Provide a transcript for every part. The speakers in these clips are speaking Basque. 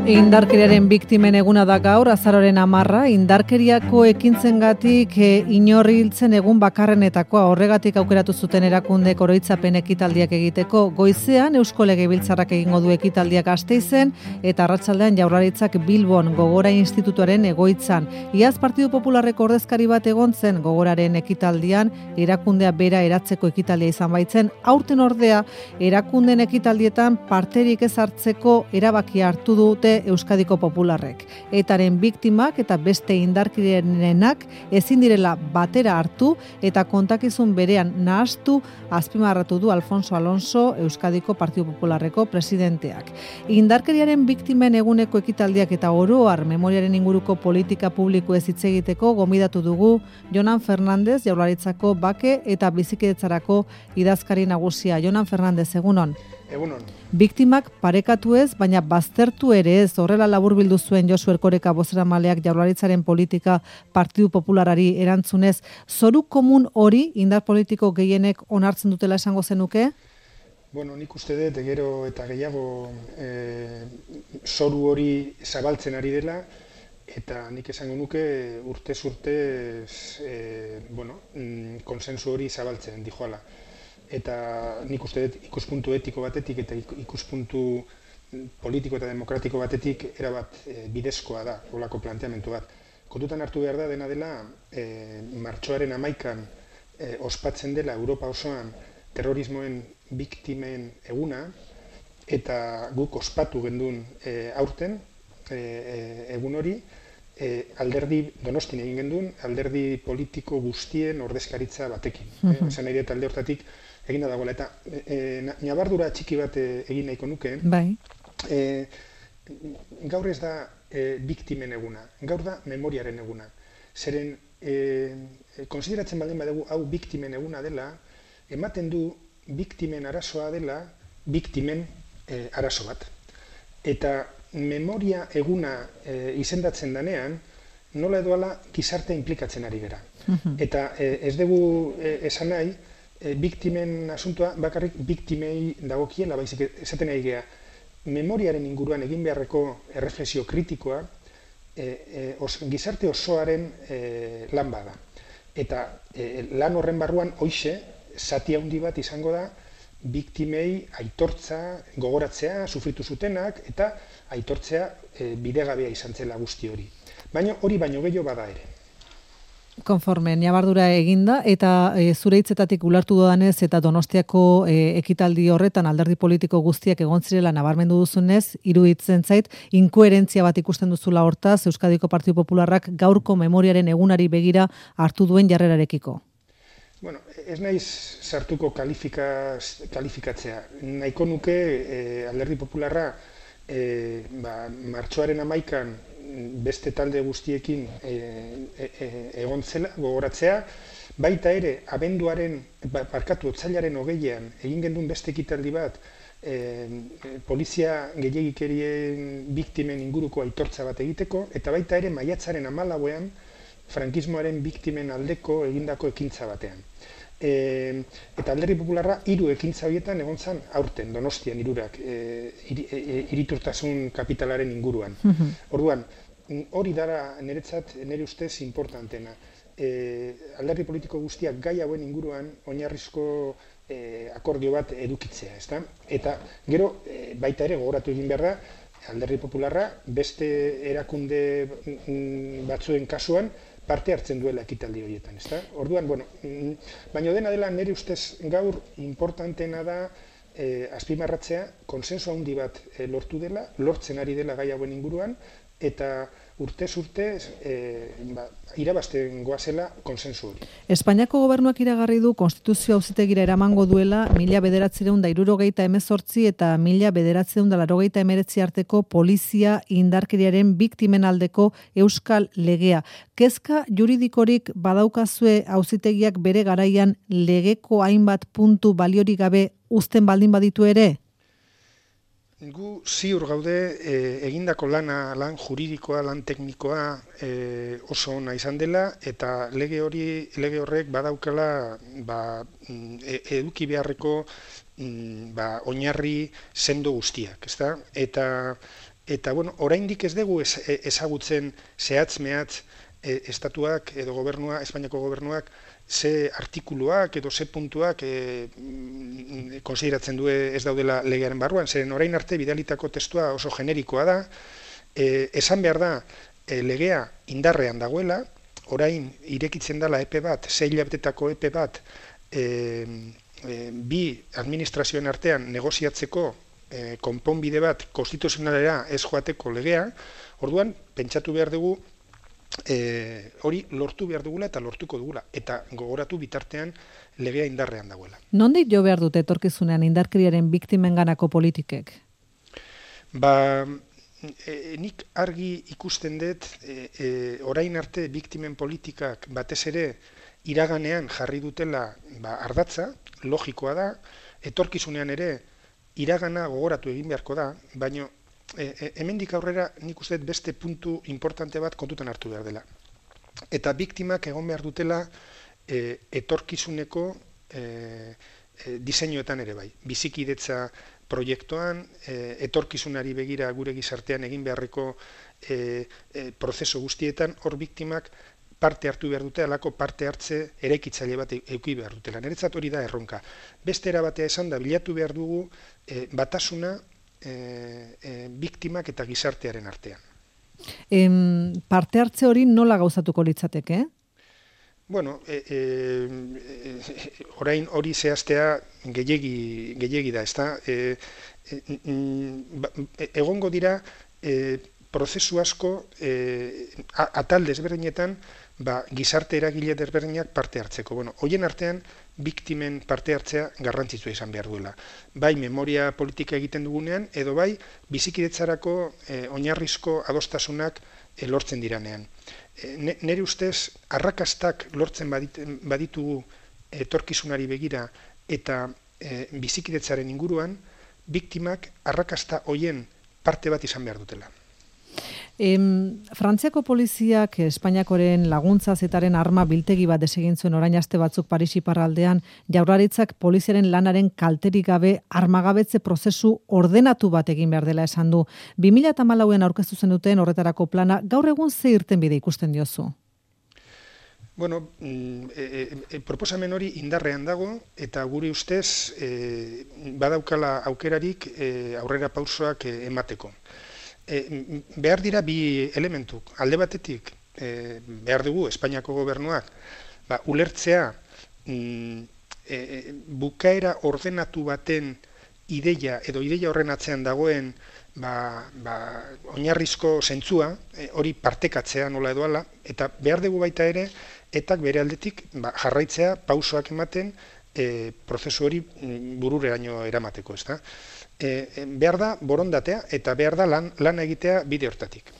Indarkeriaren biktimen eguna da gaur, azaroren 10, indarkeriako ekintzengatik inor hiltzen egun bakarrenetakoa, horregatik aukeratu zuten erakundek oroitzapen ekitaldiak egiteko. Goizean Eusko Legebiltzarrak egingo du ekitaldiak Gasteizen eta arratsaldean Jaurlaritzak Bilbon Gogora Institutuaren egoitzan. Iaz Partidu Popularreko ordezkari bat egon zen Gogoraren ekitaldian, erakundea bera eratzeko ekitaldia izan baitzen, aurten ordea erakunden ekitaldietan parterik ez hartzeko erabakia hartu dute Euskadiko Popularrek. Etaren biktimak eta beste indarkeriarenak ezin direla batera hartu eta kontakizun berean nahastu azpimarratu du Alfonso Alonso, Euskadiko Partidu Popularreko presidenteak. Indarkeriaren biktimen eguneko ekitaldiak eta oro har memoriaren inguruko politika publiko ez hitz egiteko gomidatu dugu Jonan Fernandez, Jaurlaritzako bake eta bizikidetzarako idazkari nagusia. Jonan Fernandez, egunon. Egunon. Biktimak parekatu ez, baina baztertu ere ez, horrela laburbildu zuen Josu Erkoreka bozeramaleak Jaurlaritzaren politika Partidu Popularari erantzunez. Zoru komun hori indar politiko gehienek onartzen dutela esango zenuke? Bueno, nik uste dut gero eta gehiago zoru hori zabaltzen ari dela, eta nik esango nuke urtez urte konsensu hori zabaltzen dijoala. Eta nik uste dut ikuspuntu etiko batetik eta ikuspuntu politiko eta demokratiko batetik erabat bidezkoa da, holako planteamendu bat. Kontutan hartu behar da dena dela, martxoaren 11an ospatzen dela Europa osoan terrorismoen biktimen eguna, eta guk ospatu gendun aurten egun hori, alderdi Donostin egin gendun, alderdi politiko guztien ordezkaritza batekin. Esan nahi dut alde hortatik egina dagoela, eta nabardura txiki bat egin nahiko nuke. Bai. Gaur ez da biktimen eguna, gaur da memoriaren eguna. Zeren, konsideratzen baldin badugu hau biktimen eguna dela, ematen du biktimen arazoa dela biktimen arazo bat. Eta memoria eguna izendatzen danean, nola edoala gizarte implikatzen ari gara. Eta ez dugu esan nahi, biktimen asuntoa bakarrik biktimei dagokiela, baizik esaten nahi gea, memoriaren inguruan egin beharreko erreflexio kritikoa gizarte osoaren lan bada. Eta lan horren barruan hoixe, zati handi bat izango da, biktimei aitortza, gogoratzea, sufritu zutenak, eta aitortzea bidegabea izan zela guzti hori. Baina hori baino gehiago bada ere. Konforme, nabardura eginda, eta zure hitzetatik ulertu dodanez eta Donostiako ekitaldi horretan alderdi politiko guztiak egon zirela nabarmendu duzunez, iruditzen zait, inkoherentzia bat ikusten duzula hortaz, Euskadiko Partidu Popularrak gaurko memoriaren egunari begira hartu duen jarrerarekiko. Bueno, ez naiz sartuko kalifikatzea. Nahiko nuke alderdi popularra martxoaren 11an beste talde guztiekin egon zela, gogoratzea, baita ere, otsailaren 20an egin gendun beste ekitaldi bat, polizia gehiegikerien biktimen inguruko aitortza bat egiteko, eta baita ere maiatzaren 14an frankismoaren biktimen aldeko egindako ekintza batean. Eta alderdi popularra 3 ekintza horietan egon zen aurten, Donostian 3ak, iriturtasun kapitalaren inguruan. Orduan, hori dara niretzat, nire ustez importantena. Alderdi politiko guztiak gai hauen inguruan oinarrizko akordio bat edukitzea, ezta? Eta gero, baita ere gogoratu egin behar da, alderdi popularra beste erakunde batzuen kasuan parte hartzen duela ekitaldi horietan, ezta? Orduan, baina dena dela nire ustez gaur importantena da azpimarratzea konsensu handi bat lortu dela, lortzen ari dela gai hauen inguruan, eta urtez urte irabazten goazela konsensu hori. Espainiako gobernuak iragarri du Konstituzio Auzitegira eramango duela 1978 eta 1989 arteko polizia indarkeriaren biktimen aldeko euskal legea. Kezka juridikorik badaukazue auzitegiak bere garaian legeko hainbat puntu baliorik gabe uzten baldin baditu ere? Gu ziur gaude egindako lan juridikoa, lan teknikoa oso ona izan dela, eta lege horrek badaukala eduki beharreko oinarri sendo guztiak, ezta? Eta Eta, oraindik ez dugu ezagutzen zehatz-mehatz estatuak edo Espainiako gobernuak ze artikuluak edo ze puntuak konsideratzen du ez daudela legearen barruan, zeren orain arte bidalitako testua oso generikoa da, esan behar da legea indarrean dagoela, orain irekitzen dela epe bat, 6 hilabetetako epe bat, bi administrazioen artean negoziatzeko konponbide bat konstituzionalera ez joateko legea, orduan pentsatu behar dugu hori lortu behar dugula eta lortuko dugula, eta gogoratu bitartean legea indarrean dagoela. Nondik jo behar dute etorkizunean indarkeriaren biktimenganako politikek? Nik argi ikusten dut orain arte biktimen politikak batez ere iraganean jarri dutela ardatza, logikoa da, etorkizunean ere iragana gogoratu egin beharko da, baina hemendik aurrera nik uste beste puntu importante bat kontutan hartu behar dela. Eta biktimak egon behar dutela etorkizuneko diseinuetan ere bai. Bizikidetza proiektuan, etorkizunari begira gure gizartean egin beharreko prozesu guztietan, hor biktimak parte hartu behar dute, alako parte hartze eraikitzaile bat eduki behar dutela. Niretzat hori da erronka. Beste erabatea esan da, bilatu behar dugu batasuna biktimak eta gizartearen artean. Parte hartze hori nola gauzatuko litzateke? Orain hori zehaztea gehiegi da, ezta? Egongo dira prozesu asko atal desberdinetan gizarte eragile desberdinak parte hartzeko. Horien artean biktimen parte hartzea garrantzitsua izan behar duela. Bai memoria politika egiten dugunean, edo bai bizikidetzarako oinarrizko adostasunak lortzen diranean. Nire ustez, arrakastak lortzen baditugu etorkizunari begira eta bizikidetzaren inguruan, biktimak arrakasta hoien parte bat izan behar dutela. Frantziako poliziak Espainiakoren laguntza zetaren arma biltegi bat desegin zuen orain aste batzuk Paris iparraldean, Jaurlaritzak poliziaren lanaren kalterik gabe armagabetze prozesu ordenatu bat egin behar dela esan du. 2014an aurkeztu zenuten horretarako plana, gaur egun ze irtenbide ikusten diozu? Proposamen hori indarrean dago eta gure ustez badaukala aukerarik aurrera pausoak emateko. Behar dira bi elementuk. Alde batetik, behar dugu Espainiako gobernuak ulertzea bukaera ordenatu baten ideia edo ideia horren atzean dagoen oinarrizko zentzua, hori partekatzea nola edo ala, eta behar dugu baita ere, eta bere aldetik jarraitzea pausoak ematen prozesu hori burureraino eramateko, ezta? Behar da borondatea eta behar da lan egitea bide hortatik.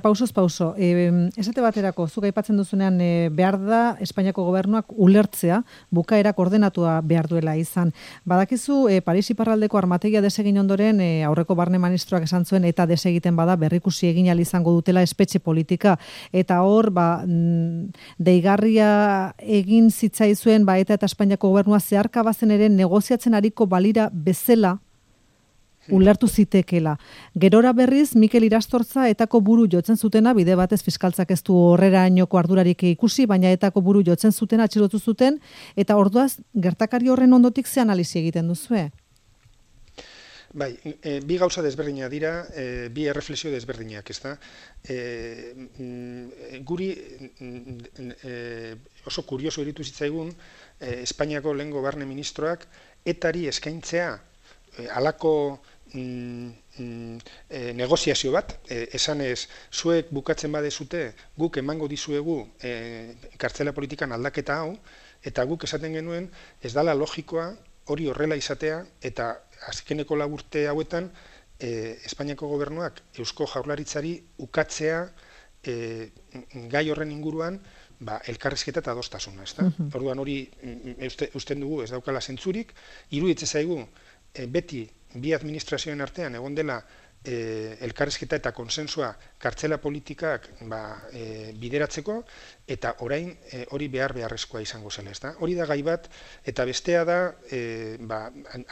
Pausoz pauso, esate baterako, zuk aipatzen duzunean behar da Espainiako gobernuak ulertzea, bukaerak ordenatua behar duela izan. Badakizu, Paris iparraldeko armategia desegin ondoren, aurreko barne ministroak esan zuen eta desegiten bada berrikusi egin ahal izango dutela espetxe politika. Eta hor, deigarria egin zitzaizuen eta Espainiako gobernua zeharka bazen ere negoziatzen ariko balira bezala ulertu zitekela. Gerora berriz, Mikel Irastortza etako buru jotzen zutena, bide batez fiskaltzak ez du horrerainoko ardurarik ikusi, baina etako buru jotzen zuten atxilotu zuten, eta orduaz, gertakari horren ondotik ze analizi egiten duzue? Bai, bi gauza desberdina dira, bi erreflexio desberdinak, ezta? Guri oso kurioso iritu zitzaigun Espainiako lehengo barne ministroak etari eskaintzea halako negoziazio bat, esanez, zuek bukatzen badezute, guk emango dizuegu kartzela politikan aldaketa hau, eta guk esaten genuen ez dala logikoa hori horrela izatea, eta azkeneko urte hauetan Espainiako gobernuak Eusko Jaurlaritzari ukatzea gai horren inguruan elkarrizketa eta adostasuna, ezta? Orduan hori usten dugu ez daukala zentzurik, iruditzen zaigu beti bi administrazioen artean egon dela elkarrizketa eta konsensua kartzela politikak bideratzeko, eta orain hori beharrezkoa izango zela, ezta? Hori da gai bat, eta bestea da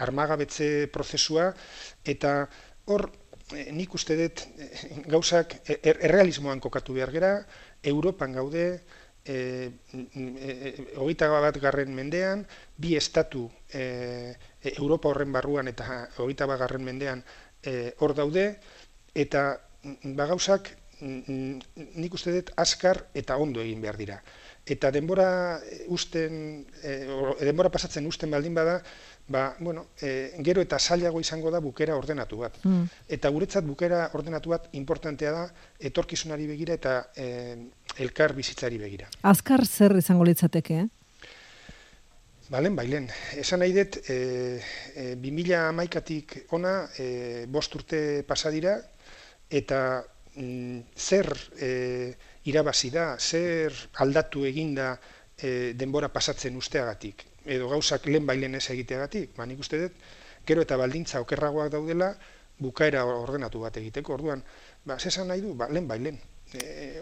armagabetze prozesua, eta hor nik uste dut gauzak errealismoan kokatu behar gera, Europan gaude, 21. mendean, bi estatu Europa horren barruan eta 21. mendean hor daude, eta gauzak nik uste dut azkar eta ondo egin behar dira. Eta denbora pasatzen usten baldin bada, gero eta zailago izango da bukera ordenatu bat. Eta guretzat bukera ordenatu bat importantea da etorkizunari begira eta elkar bizitzari begira. Azkar zer izango litzateke, Balen. Esan nahi dut, 2011-tik ona 5 urte pasa dira, eta zer irabazi da, zer aldatu eginda denbora pasatzen usteagatik, edo gauzak lehen ez egiteagatik, nik uste dut, gero eta baldintza okerragoak daudela, bukaera ordenatu bat egiteko, orduan, zesan nahi du, lehen,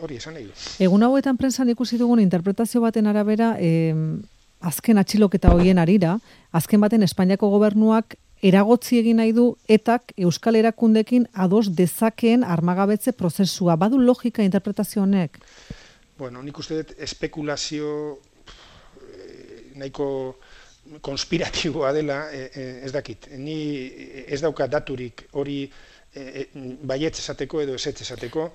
hori esan nahi du. Egun hauetan prentsan ikusi dugun interpretazio baten arabera, azken atxiloketa horien arira, azken baten Espainiako gobernuak eragotzi egin nahi du etak Euskal Erakundekin ados dezakeen armagabetze prozesua. Badu logika interpretazio honek? Nik uste dut espekulazio nahiko konspiratiboa dela, ez dakit. Ni ez dauka daturik hori baietz esateko edo ezetz esateko,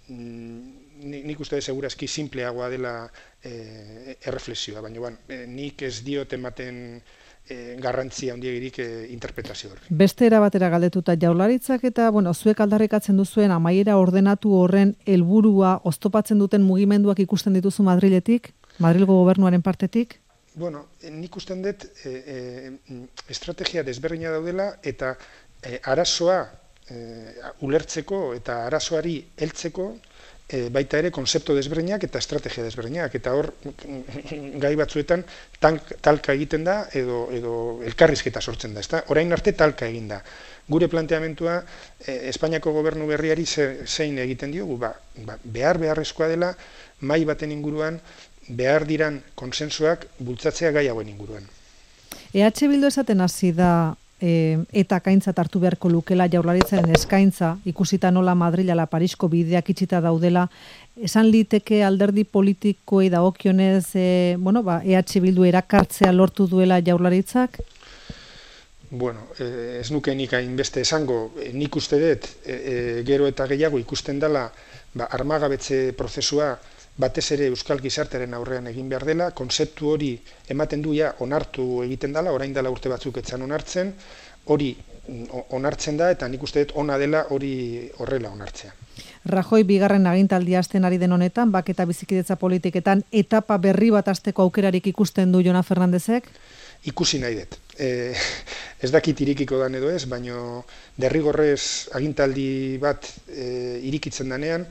nik uste dut segurazki simpleagoa dela erreflexioa, baina nik ez diot ematen garrantzia handiegirik interpretazio hori. Beste era batera galdetuta Jaurlaritzak eta zuek aldarrikatzen duzuen amaiera ordenatu horren helburua oztopatzen duten mugimenduak ikusten dituzu Madriletik, Madrilgo gobernuaren partetik? Nik usten dut estrategia desberdina daudela eta arazoa ulertzeko eta arazoari heltzeko baita ere konzeptu desberdinak eta estrategia desberdinak, eta hor gai batzuetan talka egiten da edo elkarrizketa sortzen da, ezta? Orain arte talka egin da. Gure planteamentua Espainiako gobernu berriari zein egiten diogu, beharrezkoa dela mahai baten inguruan behar diran konsensuak bultzatzea gai hauen inguruan. EH Bildu esaten hasi da eta kaintzat hartu beharko lukela Jaurlaritzaren eskaintza, ikusita nola Madril ala Parisko bideak itxita daudela, esan liteke alderdi politikoei dagokionez EH Bildu erakartzea lortu duela Jaurlaritzak? Ez nuke nik hainbeste esango, nik uste dut gero eta gehiago ikusten dela armagabetze prozesua batez ere euskal gizartearen aurrean egin behar dela, konzeptu hori ematen duia onartu egiten dela, orain dela urte batzuk etzan onartzen, hori onartzen da eta nik uste dut ona dela hori horrela onartzea. Rajoy bigarren agintaldia hasten ari den honetan, bake eta bizikidetza politiketan etapa berri bat hasteko aukerarik ikusten du Jonan Fernandezek? Ikusi nahi dut. Ez dakit irikiko dan edo ez, baina derrigorrez agintaldi bat irikitzen danean,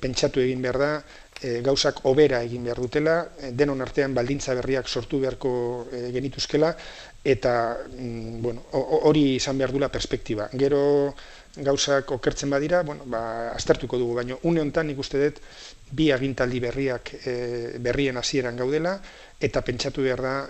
pentsatu egin behar da, gauzak hobera egin behar dutela, denon artean baldintza berriak sortu beharko genituzkela, eta hori izan behar dula perspektiba. Gero gauzak okertzen badira, aztertuko dugu, baina une honetan nik uste dut bi agintaldi berrien hasieran gaudela, eta pentsatu behar da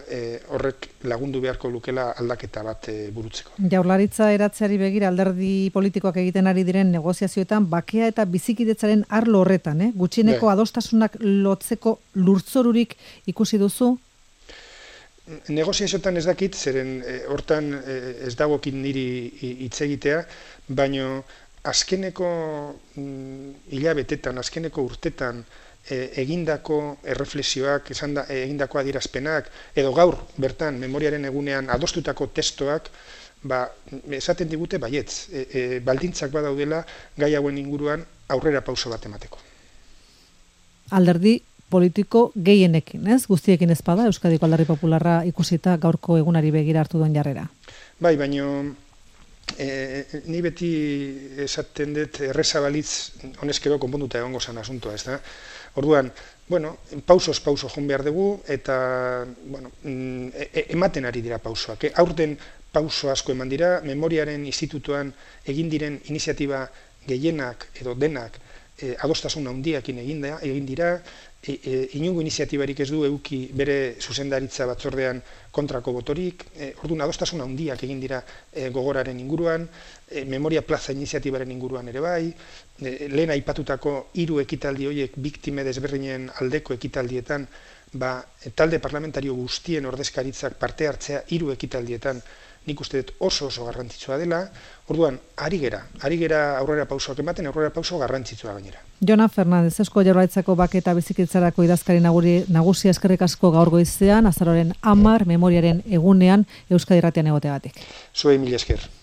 horrek lagundu beharko lukela aldaketa bat burutzeko. Jaurlaritza eratzeari begira alderdi politikoak egiten ari diren negoziazioetan bakea eta bizikidetzaren arlo horretan, gutxieneko adostasunak lotzeko lurtzorurik ikusi duzu? Negoziazioetan ez dakit, zeren hortan ez dagokin niri hitz egitea, baina azkeneko hilabetetan, azkeneko urtetan egindako erreflexioak, egindako adierazpenak, edo gaur bertan memoriaren egunean adostutako testoak, esaten digute baietz, baldintzak badaudela gai hauen inguruan aurrera pauso bat emateko. Alderdi politiko gehienekin, ez? Guztiekin ez bada, Euskadiko Alderdi Popularra ikusita gaurko egunari begira hartu duen jarrera. Bai, baina ni beti esaten dut errezabalitz honezkero konponduta egongo zan asuntoa, ez da? Orduan, pausoz pauso joan behar dugu, eta ematen ari dira pausoak. Aurten pauso asko eman dira, Memoriaren Institutuan egin diren iniziatiba gehienak edo denak adostasun handiakin egin dira, inongo iniziatibarik ez du eduki bere zuzendaritza batzordean kontrako botorik, orduan adostasun handiak egin dira gogoraren inguruan, memoria plaza iniziatibaren inguruan ere bai, lehen aipatutako 3 ekitaldi horiek biktime desberdinen aldeko ekitaldietan, talde parlamentario guztien ordezkaritzak parte hartzea 3 ekitaldietan nik uste dut oso garrantzitsua dela, orduan ari gera aurrera pausoak ematen, aurrera pauso garrantzitsua gainera. Jona Fernandez, Eusko Jaurlaritzako Bake eta Bizikitzarako idazkari nagusia eskerrik asko gaur goizean, azaroaren 10 memoriaren egunean Euskadi Irratian egoteagatik. Zuei mila esker.